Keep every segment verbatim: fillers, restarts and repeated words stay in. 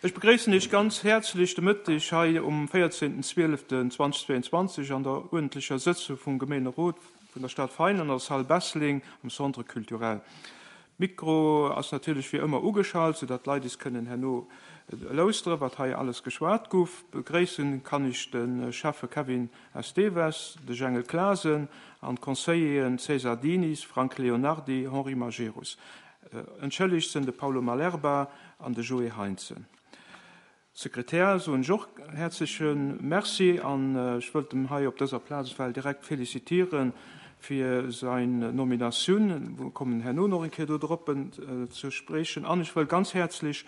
Ech begréissen Iech ganz häerzlech de Mëtteg hei um véierzehnten zwieleften zweitausendzweiundzwanzeg an der uerdentlecher Sëtzung vum Gemeenerot vun der Stad Vein an der Salle Bessling am Centre culturel. Mikro ass natierlech wéi ëmmer ugeschalt, soudatt d'Leit is kënnen herno lauschteren, wat hei alles geschwat guff. Begréissen kann ech de Schäffe Kevin Esteves, de Jengel Clasen an d'Conseilleren César Diniz, Frank Leonardi, Henri Majerus. Entschëllegt sinn de Paulo Malerba an de Joé Heintzen. Sekretär soen ech och häerzleche Merci an ech wëllt em hei op dëser Plaz ewell direkt félicitéiere fir sein Nominatioun. Mir kommen herno nach eng Kéier do drop ze spriechen. An ech wëll ganz häerzlech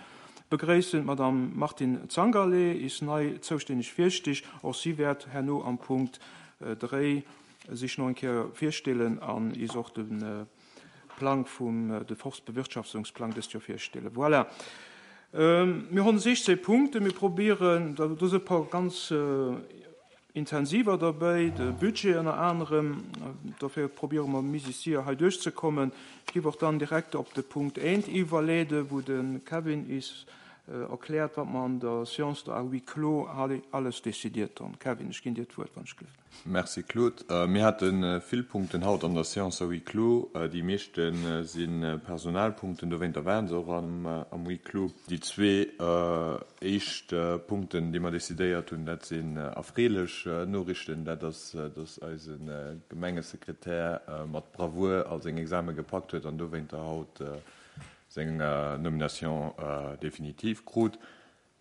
begréissen d'Madame Martine Zangerlé, is nei zoustänneg Virsteesch. Och si wäert herno am Punkt dréi sech nach eng Kéier virstellen an is och de Plang vum de Forstbewirtschaftungsplang dëst Joer virstellen. Voilà. Mir hunn sechzehn Punkte, mir probieren, do si e paar ganz intensiver derbäi, de Budget ënner anerem, dofir probiere mer Musicier hei duerchzekommen. Ech géif och dann direkt op de Punkt eent iwwerleeden, wou de Kevin is erkläert, wat mer an der Séance de à huis clos alles décidiert hunn. Kevin, ech ginn dir d'Wuert, wann ech gelift. Merci Claude. Mir hate vill Punkten haut an der Séance à huis clos. Déi meeschte si Personalpunkten, dowéinter waren se och am, am huis clos. Déi zwee éischt Punkten, déi mer decidéiert hunn, dat sinn erfreelech Noriichten. Dat ass, dass eise Gemengesekretär mat Bravour all seng Exame gepackt huet an dowéinter haut seng Nomination définitive krut.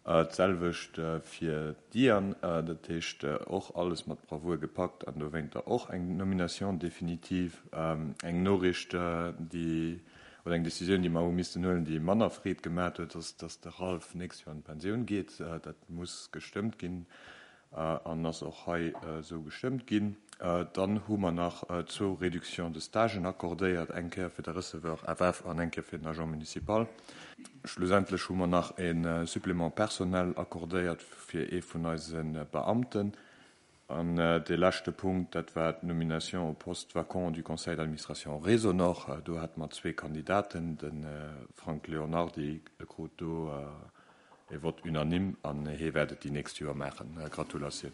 D'selwecht fir d'Diane, dat heescht och alles mat Bravour gepackt an dowéinter och eng Nomination définitive. Eng Noriicht, déi, oder eng Décisioun, déi mer hu missten huelen, déi manner Freed gemaat huet, ass, dass de Ralph nächst Joer an d'Pensioun geet. Dat muss gestëmmt ginn an ass och hei esou gestëmmt ginn. Dann hu mer nach zwou Réductions de Stagen accordéiert, eng Kéier fir de Receveur F F an eng Kéier fir den Agent municipal. Schlussendlech hu mer nach e Supplément personnel accordéiert fir ee vun eise Beamten. An de leschte Punkt, dat war d'Nomination au poste vacant du Conseil d'administration Résonor. Do hate mer zwee Kandidaten, de Frank Leonardi krut do e Vote unanime an hie wäert et déi nächst Joer maachen. Gratulatioun.